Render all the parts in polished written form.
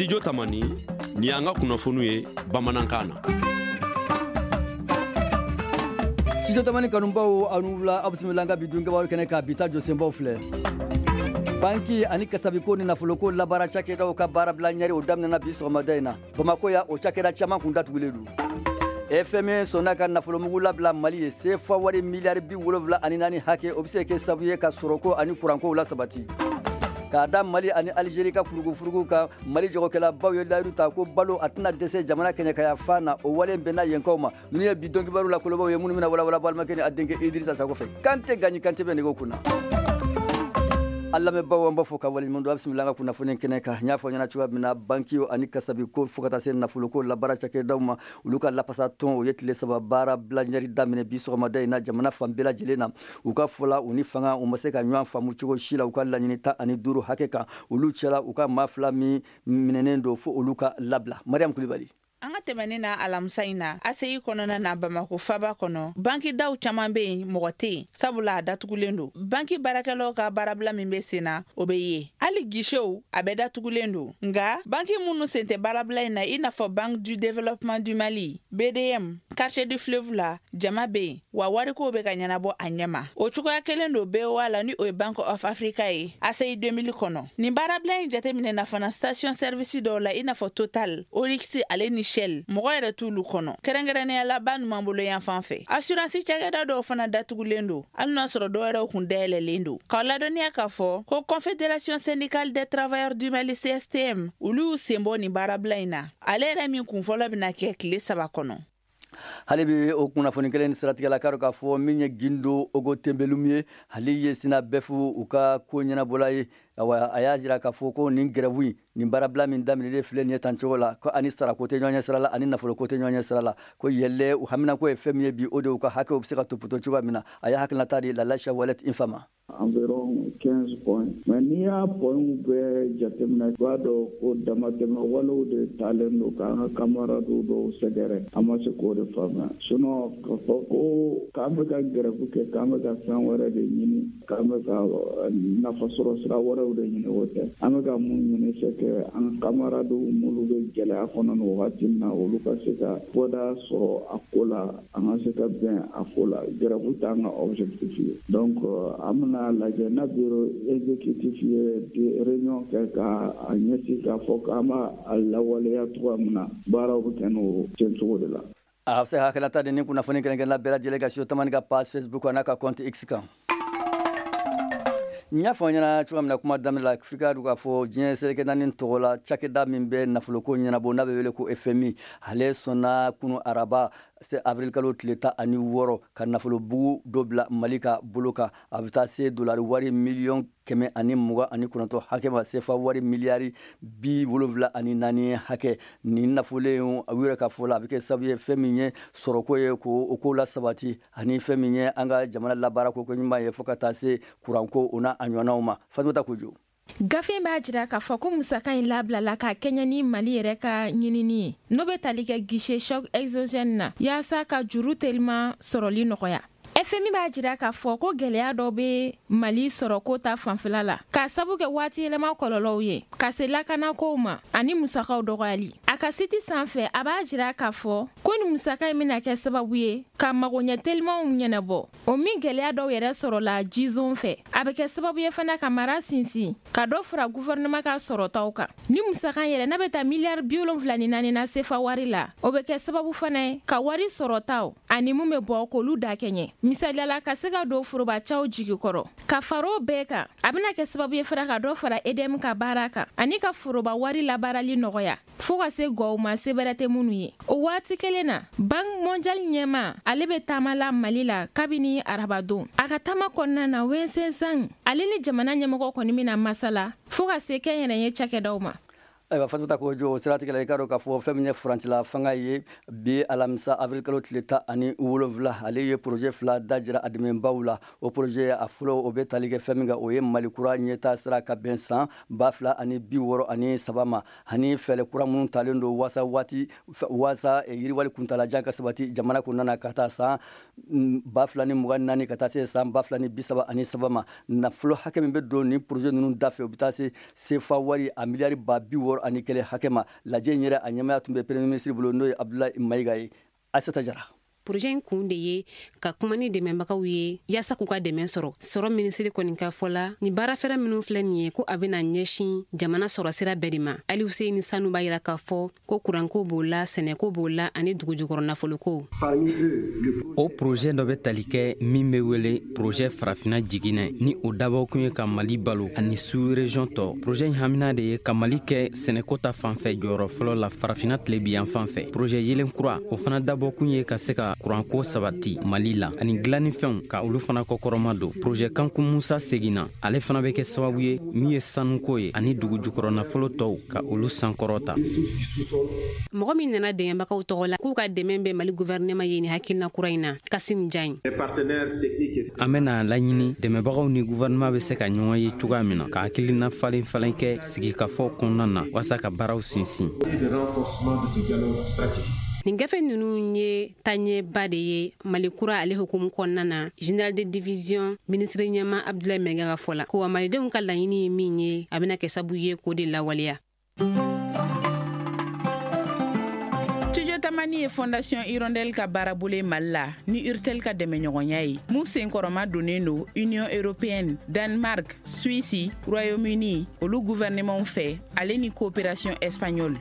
Studio Tamani, nin y'an ka kunnafoniw ye bamanankan na. Studio Tamani kanubaw, aw ni wula, aw bisimila an ka bi don kibaru kɛnɛ kan. Bi ta jɔsenbaw filɛ: banki ani kasabiko ni nafoloko labaara cakɛdaw ka baarabila ɲɛri, o daminɛna bi sɔgɔmada in na Bamakɔ yan. O cakɛda caman kun datugulen don. FMI sɔnna ka nafolomugu labila Mali ye, sefa wari miliyari 74 hakɛ. O bɛ se kɛ sababu ye ka sɔrɔko ani kurankow la sabati. K'a da Mali ani Alizeri ka furugufurugu kan, Mali jagokɛlabaw ye layidu ta ko balo a tɛna dɛsɛ jamana kɛɲɛkaya fan na. O wale bɛnna yenkaw ma. Ninnu ye bi don kibaru la kolobaw ye, minnu bɛna walawala balimakɛ ni a denkɛ Idirisa Sakɔ fɛ. Kante Gaɲi Kante bɛ nɛgɛw kunna. An lamɛnbaaw, an b'a fɔ ka waleɲuman dɔn. A bisimila an ka kunnafoni kɛnɛ kan. N y'a fɔ ɲɛna cogoya min na, banki ani kasabiko fo ka taa se nafoloko labaara cakɛdaw ma, olu ka lafasa tɔn, o ye tile 3 baara bila ɲɛri daminɛ bi sɔgɔmada in na jamana fan bɛɛ lajɛlen na. U ka fɔla, u ni fanga u ma se ka ɲɔgɔn faamu cogo si la u ka laɲini 15 hakɛ kan. Olu cɛla, u ka maa fila min minɛnen don, fo olu ka labila. Mariam Kulibali. An ka tɛmɛnen na, alamisa in na, ACI kɔnɔna na, Bamako faba kɔnɔ, banki daw caman bɛ yen, mɔgɔ tɛ yen, sabula a datugulen don. Banki baarakɛlaw ka baarabila min bɛ sen na, o bɛ ye, hali guichetw a bɛɛ datugulen don. Nka banki minnu sen tɛ baarabila in na, i n'a fɔ Banque du Développement du Mali, BDM, quartier du Fleuve la, jama bɛ yen wa, warikow bɛ ka ɲɛnabɔ a ɲɛma. O cogoya kelen don BOA la, ni o ye Bank of Africa ye, ACI 2000 kɔnɔ. Nin baarabila in jateminɛna fana station service dɔw la, i n'a fɔ Total, Oryx ale ni Shell, mɔgɔ yɛrɛ t'olu kɔnɔ, kɛrɛnkɛrɛnnenya la ba numanbolo yan fan fɛ. Assurance cakɛda dɔw fana datugulen don, hali n'a sɔrɔ dɔw yɛrɛw kun dayɛlɛlen don. K'aw ladɔnniya k'a fɔ ko Confédération syndicale des travailleurs du Mali, CSTM, olu y'u sen bɔ nin baarabila in na, ale yɛrɛ min kunfɔlɔ bɛna kɛ tile 3 kɔnɔ. Hali bi o kunnafoni kelen siratigɛ la, k'a k'a fɔ min ye Gindo Ogo Tembelum ye, ale ye SYNABEF u ka ko ɲɛnabɔla ye. Awa, a y'a jira k'a fɔ ko nin grève in, nin baarabila min daminɛlen filɛ nin ye tan cogo la, ko ani sarako tɛ ɲɔgɔn ɲɛ sira la, ani nafoloko tɛ ɲɔgɔn ɲɛ sira la, ko yɛlɛ u haminako ye fɛn min ye bi, o de u ka hakɛw bɛ se ka topoto cogoya min na. A y'a hakilinata di Lalacha Walet Infa ma. Environ 15 points. Mais n'i y'a points bɛɛ jateminɛ, i b'a dɔn ko damatɛmɛ walew de talen don k'an ka camarades dɔw sɛgɛrɛ. An ma se k'o de faamuya. Sinon k'a fɔ ko k'an bɛ ka grève kɛ, k'an bɛ ka fɛn wɛrɛ de ɲini, k'an bɛ ka nafasɔrɔ sira wɛrɛw de ɲini, o tɛ. An bɛ ka mun ɲini, c'est que an camarades minnu bɛ gɛlɛya kɔnɔ nin wagati in na, olu ka se ka bɔda sɔrɔ a ko la, an ka se ka bɛn a ko la. Grève t'an ka objectif ye. Donc an bɛna lajɛ n'a bureau exécutif ye réunion kɛ ka a ɲɛsin k'a fɔ k'an b'a lawaleya cogoya min na, baaraw bɛ kɛ n'o kɛcogo de la. A bɛ se ka hakilata di ni kunnafoni kɛrɛnkɛrɛnna bɛɛ lajɛlen ka Studio Tamani ka page Facebook n'a ka compte X kan. N y'a fɔ aw ɲɛna cogoya min na kuma daminɛ la, f'i ka dɔn k'a fɔ diɲɛ seleke naani tɔgɔ la cakɛda min bɛ nafoloko ɲɛnabɔ, n'a bɛ wele ko FMI, ale sɔnna kunu araba avril kalo tile 16 ka nafolobugu dɔ bila Mali ka bolo kan. A bɛ taa se dolari wari miliyɔn 129 hakɛ ma, sefa wari miliyari 74 hakɛ. Nin nafolo u yɛrɛ ka fɔ la, a bɛ kɛ sababu ye fɛn min ye sɔrɔko ye, ko o ko la sabati, ani fɛn min ye an ka jamana labaara ko ɲuman ye, fo ka taa se kuranko o n'a a ɲɔgɔnnaw ma. Fatumata Kojo. Gafe b'a jira k'a fɔ ko musaka in labilala ka kɛɲɛ ni Mali yɛrɛ ka ɲinini ye, n'o bɛ tali kɛ guichet choc exogène na, yaasa ka juru teliman sɔrɔli nɔgɔya. FMI b'a jira k'a fɔ ko gwɛlɛya dɔ bɛ Mali sɔrɔko ta fanfɛla la, k'a sabu kɛ waati yɛlɛma kɔlɔlɔw ye, ka se lakanakow ma ani musakaw dɔgɔyali. A ka site sanfɛ, a b'a jira k'a fɔ ko ni musaka in bɛna kɛ sababu ye ka magoɲɛ telimanw ɲɛnabɔ, o min gwɛlɛya dɔw yɛrɛ sɔrɔla jizon fɛ. A bɛ kɛ sababu ye fana ka mara sinsin, ka dɔ fara gouvernement ka sɔrɔtaw kan. Ni musaka yɛrɛ n'a bɛ taa miliyari 74 na sefa wari la, o bɛ kɛ sababu fana ye ka wari sɔrɔtaw ani mun bɛ bɔ k'olu da kɛɲɛ, misaliyala ka se ka don forobacaw jigi kɔrɔ. Ka fara o bɛɛ kan, a bɛna kɛ sababu ye fana ka dɔ fara EDM ka baara kan ani ka foroba wari labaarali nɔgɔya, fɔɔ ka se gɔw ma se bɛrɛ tɛ minnu ye. O waati kelen na, Banque mondiale ɲɛma, ale bɛ taama la Mali la kabini arabadon. A ka taama kɔnɔna na, Wensen Zhang ale ni jamana ɲɛmɔgɔ kɔni bɛna masala, fɔɔ ka se kɛnyɛrɛye cakɛdaw ma. Ayiwa, Fatumata Kojo, o siratigɛ la, i k'a dɔn k'a fɔ fɛn min ye furancɛla fanga ye, bi alamisa avril kalo tile 17, ale ye projet fila dajira a dɛmɛbaw la. O projet a fɔlɔ, o bɛ tali kɛ fɛn min kan, o ye Mali kura ɲɛta sira ka bɛn san 2063 ma, ani fɛɛrɛ kura minnu talen don waasa waati waasa yiriwali kuntalajan ka sabati jamana kɔnɔna na, ka taa san 2024 ka taa se san 2033 ma. Nafolo hakɛ min bɛ don nin projet ninnu dafɛ, o bɛ taa se sefa wari a miliyari ba bi wɔɔrɔ. 61 hakɛ ma. Lajɛ in yɛrɛ, a ɲɛmaya tun bɛ Premier ministre bolo, n'o ye Abdoulaye Maïga ye. Aïssata Jara. Projet in kun de ye ka kuma ni dɛmɛbagaw ye yaasa k'u ka dɛmɛ sɔrɔ. Sɔrɔ minisiri kɔni ka fɔ la, ni baara fɛrɛ minnu filɛ nin ye, ko a bɛna ɲɛsin jamana sɔrɔ sira bɛɛ de ma. Ali Huseyini Sanu b'a yira k'a fɔ ko kuranko b'o la, sɛnɛko b'o la ani dugujukɔrɔ nafoloko. O projet dɔ bɛ tali kɛ min bɛ wele projet Farafina jiginɛ, ni o dabɔkun ye ka Mali balo ani sous région tɔ. Projet in hamina de ye ka Mali kɛ sɛnɛko ta fanfɛ jɔyɔrɔ fɔlɔ la Farafina tilebi yan fan fɛ. Projet yelen kura, o fana dabɔkun ye ka se ka kuranko sabati Mali la ani dilannifɛnw ka olu fana kɔkɔrɔma don. Projet Kanku Musa seginna, ale fana bɛ kɛ sababu ye min ye sanuko ye ani dugu jukɔrɔ nafolo tɔw ka olu sankɔrɔta. Mɔgɔ min nana dɛmɛbagaw tɔgɔ la k'u ka dɛmɛ bɛ Mali gouvernement ye nin hakilina kura in na, Kasim Jain. An bɛna laɲini dɛmɛbagaw ni gouvernement bɛ se ka ɲɔgɔn ye cogoya min na ka hakilina falen falen kɛ sigikafɔ kɔnɔna na walasa ka baaraw sinsin. Nin gafe ninnu ye taaɲɛba de ye Mali kura ale hukumu kɔnɔna na, général de division minisiri ɲɛma Abdoulaye Maïga ka fɔ la, ko wa malidenw ka laɲini ye min ye, a bɛna kɛ sabu ye k'o de lawaleya. Studio Tamani ye Fondation Hirondelle ka baarabolo ye Mali la ni Urtel ka dɛmɛɲɔgɔnya ye, mun senkɔrɔma donnen don Union européenne, Danemark, Suisse, Royaume-Uni olu gouvernement fɛ, ale ni coopération espagnole.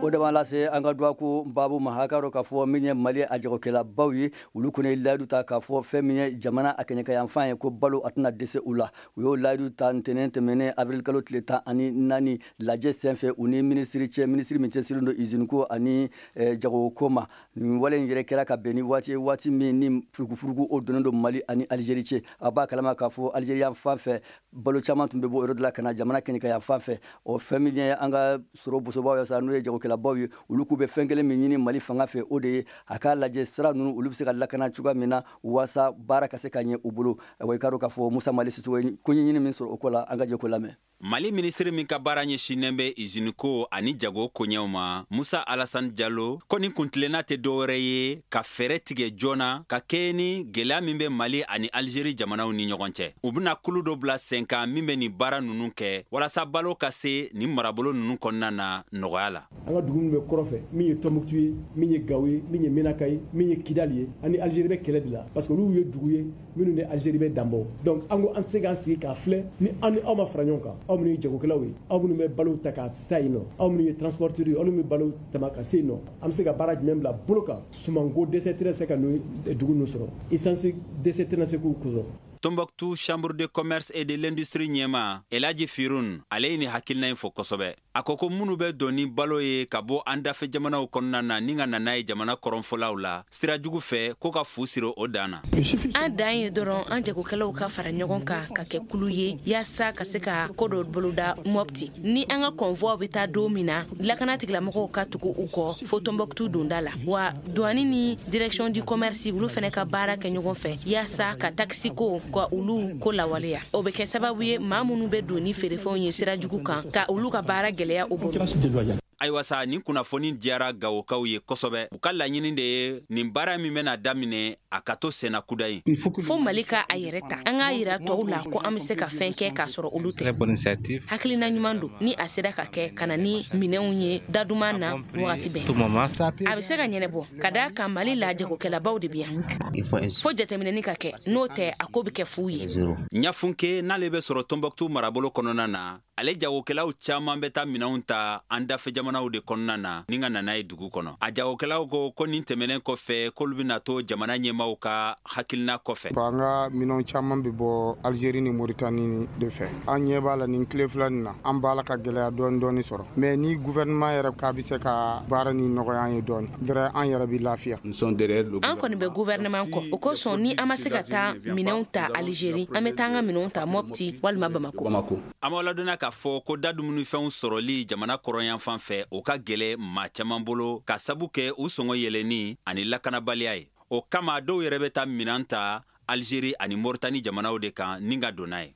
O de b'an lase an ka dɔgɔkun baabu ma. Hakɛ dɔ k'a fɔ min ye Mali a jagokɛlabaw ye, olu kɔni ye layidu ta k'a fɔ fɛn min ye jamana a kɛɲɛkayanfan ye, ko balo a tɛna dɛsɛ u la. U y'o layidu ta ntɛnɛn tɛmɛnen, avril kalo tile 14, lajɛ senfɛ u ni minisiri cɛ, minisiri min cɛsirilen don usine ko ani jagoko ma. Nin wale in yɛrɛ kɛra ka bɛn ni waati ye, waati min ni furukufuruku o donnen don Mali ani Algérie cɛ. A b'a kalama k'a fɔ Algérie yan fan fɛ, balo caman tun bɛ bɔ o yɔrɔ de la ka na jamana kɛɲɛkayan fan fɛ. O fɛn min ye an ka sɔrɔ bosobaw ye sa, n'o ye jagokɛlabaw ye, olu k'u bɛ fɛn kelen min ɲini Mali fanga fɛ, o de ye a k'a lajɛ sira ninnu olu bɛ se ka lakana cogoya min na walasa baara ka se ka ɲɛ u bolo. Ayiwa, i k'a dɔn k'a fɔ Musa Mali Sisoko ye ko ɲɛɲini min sɔrɔ o ko la, an ka jɛ k'o lamɛn. Mali minisiri min ka baara ɲɛsinnen bɛ iziniko ani jago koɲɛw ma, Musa Alassane Jalo ko nin kuntilenna tɛ dɔwɛrɛ ye ka fɛɛrɛ tigɛ joona ka kɛɲɛ ni gɛlɛya min bɛ Mali ani Algérie jamanaw ni ɲɔgɔn cɛ. U bɛna kulu dɔ bila sen kan min bɛ nin baara ninnu kɛ walasa balo ka se nin marabolo ninnu kɔnɔna na nɔgɔya la. An ka dugu min bɛ kɔrɔfɛ, min ye Tɔnbukutu ye, min ye Gawo ye, min ye Menaka ye, min ye Kidali ye, ani Algérie bɛ kɛlɛ de la, parce que olu ye dugu ye minnu ni Algérie bɛ danbɔ. Donc an ko an tɛ se k'an sigi k'a filɛ ni an ni aw ma fara ɲɔgɔn kan. Aw minnu ye jagokɛlaw ye, aw minnu bɛ balo ta ka taa yen nɔ, aw minnu ye transporteurs ye, aw minnu bɛ balo tama ka se yen nɔ, an bɛ se ka baara jumɛn bila bolo kan? Sumanko dɛsɛ tɛna se ka dugu ninnu sɔrɔ, essence dɛsɛ tɛna se k'u sɔrɔ. Tombouctou Chambre de commerce et de l'industrie ɲɛma Elaji Firun, ale ye nin hakilina in fɔ kosɛbɛ. A ko ko minnu bɛ don ni balo ye ka bɔ an dafɛ jamanaw kɔnɔna na ni ka na n'a ye jamana kɔrɔnfɔlaw la sira jugu fɛ, ko ka fu siri o dan na. An dan ye dɔrɔn an jagokɛlaw ka fara ɲɔgɔn kan ka kɛ kulu ye yaasa ka se ka ko dɔ boloda Mopti. Ni an ka convoi bɛ taa don min na, lakana tigilamɔgɔw ka tugu u kɔ fo Tombouctou donda la. Wa douane ni direction du commerce, olu fɛnɛ ka baara kɛ ɲɔgɔn fɛ yaasa ka taxe ko ka olu ko lawaleya. O bɛ kɛ sababu ye maa minnu bɛ don ni feerefɛnw ye sira jugu kan, ka olu ka baara gɛlɛya u bolo. Ayiwa sa, nin kunnafoni diyara Gawokaw ye kosɛbɛ. U ka laɲini de ye nin baara min bɛna daminɛ, a ka to senna kuda ye. Fo Mali ka a yɛrɛ ta, an k'a yira tɔw la ko an bɛ se ka fɛn kɛ k'a sɔrɔ olu tɛ. Hakilina ɲuman don ni a sera ka kɛ ka na ni minɛnw ye daduman na wagati bɛɛ, a bɛ se ka ɲɛnɛbɔ ka d'a kan Mali la jagokɛlabaw de bɛ yan. Fo jateminɛni ka kɛ, n'o tɛ a ko bɛ kɛ fu ye. Ɲafunke n'ale bɛ sɔrɔ Tombouctou marabolo kɔnɔna na, ale jagokɛlaw caman bɛ taa minɛnw ta an dafɛ jamanaw de kɔnɔna na ni ka nana ye dugu kɔnɔ. A jagokɛlaw ko ko nin tɛmɛnen kɔfɛ, k'olu bɛna to jamana ɲɛmaw ka hakilina kɔfɛ. An ka minɛnw caman bɛ bɔ Algérie ni Mauritanie de fɛ. An ɲɛ b'a la nin tile fila nin na, an b'a la ka gɛlɛya dɔɔni dɔɔni sɔrɔ, mais ni gouvernement yɛrɛ k'a bɛ se ka baara ni nɔgɔya an ye dɔɔni vrai, an yɛrɛ bɛ lafiya. An kɔni bɛ gouvernement kɔ. O kosɔn, ni an ma se ka taa minɛnw ta Algérie, an bɛ taa an ka minɛnw ta Mopti walima Bamako. An b'aw ladɔnniya k'a fɔ ko da dumunifɛnw sɔrɔli jamana kɔrɔnyanfan fɛ, o ka gɛlɛ maa caman bolo ka sabu kɛ u sɔngɔ yɛlɛnni ani lakanabaliya ye. O kama dɔw yɛrɛ bɛ taa minɛn ta Algérie ani Mauritanie jamanaw de kan ni ka don n'a ye.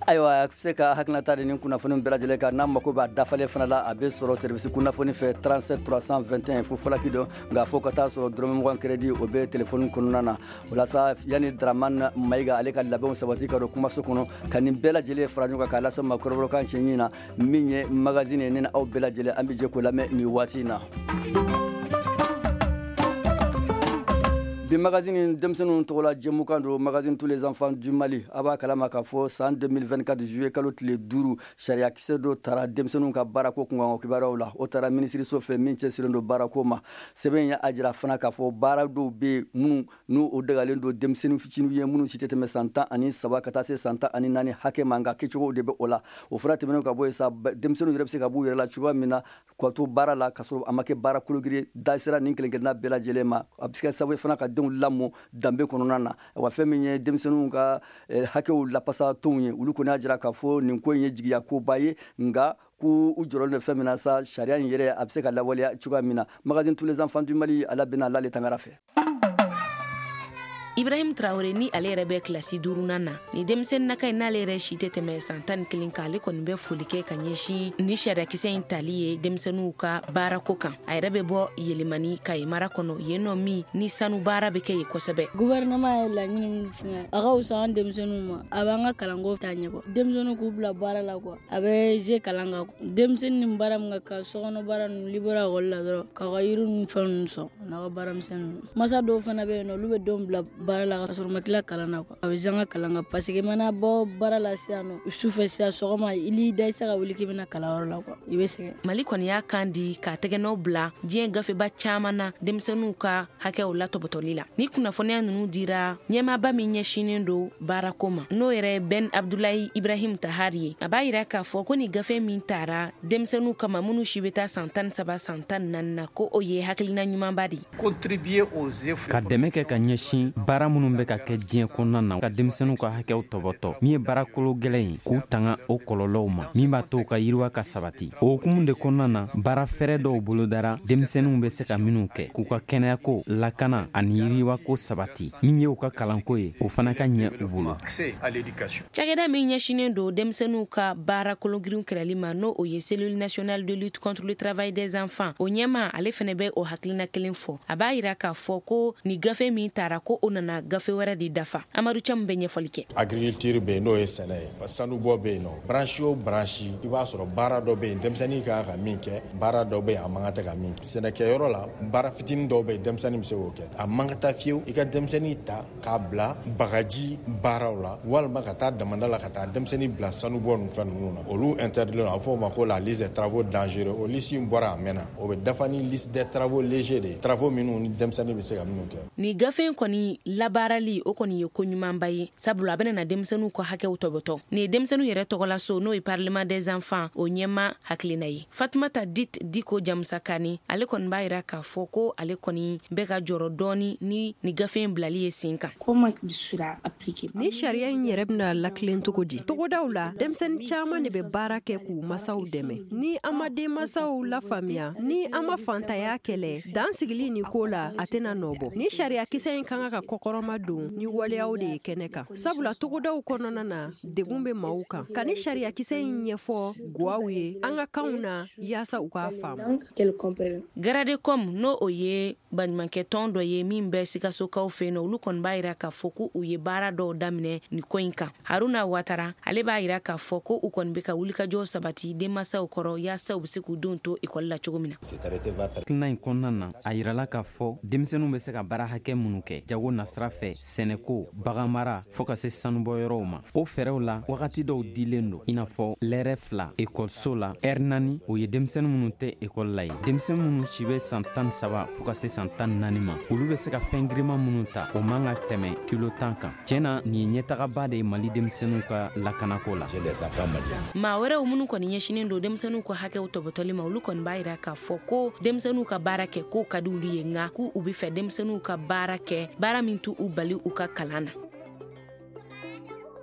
Ayiwa, a bɛ se ka hakilinata di nin kunnafoni bɛɛ lajɛlen kan. N'a mako b'a dafalen fana la, a bɛ sɔrɔ service kunnafoni fɛ, 37 321 fu falaki don. Nka fo ka taa sɔrɔ dɔrɔmɛ 20 crédit, o bɛ téléphone kɔnɔna na. O la sa, yanni Dramane Mayiga ale ka labɛnw sabati ka don kumaso kɔnɔ ka nin bɛɛ lajɛlen fara ɲɔgɔn kan k'a lase ma kɔrɔbɔrɔkan siɲɛ na, min ye magazine ye, ne ni aw bɛɛ lajɛlen an bɛ jɛ k'o lamɛn nin waati in na. Bi magazine, denmisɛnninw tɔgɔla jɛmukan don, magazine tous les enfants du Mali. A b'a kalama k'a fɔ san 2024 juillet kalo tile 5, sariyakisɛ dɔ tara denmisɛnninw ka baarako kunkan kibaruyaw la. O taara minisiriso fɛ min cɛsirilen don baarako ma. Sɛbɛn ye a jira fana k'a fɔ baara dɔw bɛ yen minnu n'u o dagalen don denmisɛnnin fitininw ye, minnu si tɛ tɛmɛ san 13 ka taa se san 14 hakɛ ma, nka kɛcogo de bɛ o la. O fana tɛmɛnen ka bɔ yen sa, denmisɛnninw yɛrɛ bɛ se ka b'u yɛrɛ la cogoya min na k'u to baara la, ka sɔrɔ a ma kɛ baara kologiri. Da sera nin kelen kelenna bɛɛ lajɛlen ma. A bɛ se ka sababu ye fana ka denw lamɔ danbe kɔnɔna na. Wa fɛn min ye denmisɛnninw ka hakɛw lapasa tɔnw ye, olu kɔni y'a jira k'a fɔ nin ko in ye jigiya koba ye, nka ko u jɔrɔlen don fɛn min na sa, sariya in yɛrɛ a bɛ se ka lawaleya cogoya min na. Magazine tous les enfants du Mali, ala bɛna l'ale tangara fɛ. Ibrahim Traore, ni ale yɛrɛ bɛ kilasi duurunan na, ni denmisɛnninnaka in, n'ale yɛrɛ si tɛ tɛmɛ san 11 kan, ale kɔni bɛ foli kɛ ka ɲɛsin ni sariyakisɛ in tali ye denmisɛnninw ka baarako kan. A yɛrɛ bɛ bɔ Yelimani, Kayi mara kɔnɔ, yen nɔ min ni sanu baara bɛ kɛ yen kosɛbɛ. Gouvernement ye laɲini min fɛngɛ, a ka wusa an denmisɛnninw ma, a b'an ka kalanko taa ɲɛ quoi. Denmisɛnninw k'u bila baara la quoi, a bɛ ze kalan kan. Denmisɛnnin ni baara min ka kan, sokɔnɔ baara ninnu, libéra ekɔli la dɔrɔn k'a ka yiri ninnu, fɛn ninnu sɔn, a n'a ka baara misɛnnin ninnu. Masa dɔw fana bɛ yen nɔ, olu bɛ denw bila baara la ka sɔrɔ ma tila kalan na quoi. A bɛ zan ka kalan kan parce que i mana bɔ baara la sisan nɔ sufɛ sisan, sɔgɔma i n'i da, i se ka wuli k'i bɛna kalanyɔrɔ la quoi, i bɛ sɛgɛn. Mali kɔni y'a kan di k'a tɛgɛnɔ bila diɲɛ gafeba caman na denmisɛnninw ka hakɛw latɔbɔtɔli la. Ni kunnafoniya ninnu dira ɲɛmaaba min ɲɛsinnen don baarako ma, n'o yɛrɛ Ben Abdulayi Ibrahim Tahari ye, a b'a yira k'a fɔ ko ni gafe min tara denmisɛnninw kama, minnu si bɛ taa san 13, san 14 na, ko o ye hakilina ɲumanba de ye. Ka dɛmɛ kɛ ka ɲɛsin baara minnu bɛ ka kɛ diɲɛ kɔnɔna na ka denmisɛnninw ka hakɛw tɔbɔtɔ, min ye baara kolo gɛlɛn ye, k'u tanga o kɔlɔlɔw ma, min b'a to u ka yiriwa ka sabati. O hukumu de kɔnɔna na, baara fɛrɛ dɔw bolodara denmisɛnninw bɛ se ka minnu kɛ k'u ka kɛnɛyako, lakana ani yiriwako sabati. Min ye u ka kalanko ye, o fana ka ɲɛ u bolo. Cakɛda min ɲɛsinnen don denmisɛnninw ka baara kologirin kɛlɛli ma, n'o o ye Cellule nationale de lutte contre le travail des enfants, o ɲɛma, ale fɛnɛ bɛ o hakilina kelen fɔ. A b'a yira k'a fɔ ko ni gafe min tara, ko o nana gafe wɛrɛ de dafa. Amadu Camu bɛ ɲɛfɔli kɛ. Agriculture bɛ yen, n'o ye sɛnɛ ye, sanubɔ bɛ yen nɔ, branche o branche, i b'a sɔrɔ baara dɔ bɛ yen denmisɛnnin ka kan ka min kɛ, baara dɔ bɛ yen a man kan tɛ ka min kɛ. Sɛnɛkɛyɔrɔ la, baara fitinin dɔw bɛ yen, denmisɛnnin bɛ se k'o kɛ. A man ka taa fiyewu i ka denmisɛnnin ta k'a bila bagaji baaraw la, walima ka taa damanda la, ka taa denmisɛnnin bila sanubɔ ninnu, fɛn ninnu na. Olu interdit a fɔ o ma ko la liste des travaux dangereux. O liste in bɔra a mɛnna, o bɛ dafa ni liste des travaux légers de ye, travaux minnu ni denmisɛnnin bɛ se ka minnu kɛ. Ni gafe in kɔni labaarali, o kɔni ye ko ɲumanba ye, sabula a bɛna na denmisɛnninw ka hakɛw tɔbɔtɔ. Nin ye denmisɛnninw yɛrɛ tɔgɔla so, n'o ye Parlement des enfants, o ɲɛma hakilina ye. Fatumata Dit Diko Jamusakani, ale kɔni b'a yira k'a fɔ ko ale kɔni bɛ ka jɔrɔ dɔɔni ni ni gafe in bilali ye sen kan. Ni sariya in yɛrɛ bɛna lakilen cogo di? Togodaw la, denmisɛnnin caman de bɛ baara kɛ k'u masaw dɛmɛ. Ni an ma denmasaw lafaamuya, ni an ma fantanya kɛlɛ, dan sigili nin ko la, a tɛna nɔ bɔ. Ni sariyakisɛ in ka kan ka kɔkɔrɔma don ni waleyaw de ye kɛnɛ kan, sabula togodaw kɔnɔna na, degun bɛ maaw kan. Ka ni sariyakisɛ in ɲɛfɔ guwaw ye an ka kanw na, yaasa u k'a faamu. Garadecom, n'o o ye baɲumankɛtɔn dɔ ye min bɛ Sikasokaw fɛ yen nɔ, olu kɔni b'a yira k'a fɔ ko u ye baara dɔw daminɛ nin ko in kan. Haruna Watara, ale b'a yira k'a fɔ ko u kɔni bɛ ka wulikajɔ sabati denmansaw kɔrɔ, yaasa u bɛ se k'u denw to ekɔli la cogo min na. Hakilina in kɔnɔna na, a yirala k'a fɔ denmisɛnninw bɛ se ka baara hakɛ minnu kɛ jago nasira fɛ, sɛnɛko, baganmara, fɔɔ ka se sanubɔyɔrɔw ma. O fɛɛrɛw la, wagati dɔw dilen don, i n'a fɔ lɛrɛ 2 ekɔliso la, ɛri 4, o ye denmisɛnnin minnu tɛ ekɔli la ye. Denmisɛn minnu si bɛ san 13 fɔɔ ka se san 14 ma, olu bɛ se ka fɛn girinman minnu ta, o man ka tɛmɛ kilo 10 kan. Tiɲɛ na, nin ye ɲɛtagaba de ye Mali denmisɛnninw ka lakanako la. Maa wɛrɛw minnu kɔni ɲɛsinnen don denmisɛnninw ka hakɛw tɔbɔtɔli ma, olu kɔni b'a yira k'a fɔ ko denmisɛnninw ka baara kɛ, k'o ka di olu ye, nka k'u bɛ fɛ denmisɛnninw ka baara kɛ, baara min t'u bali u ka kalan na.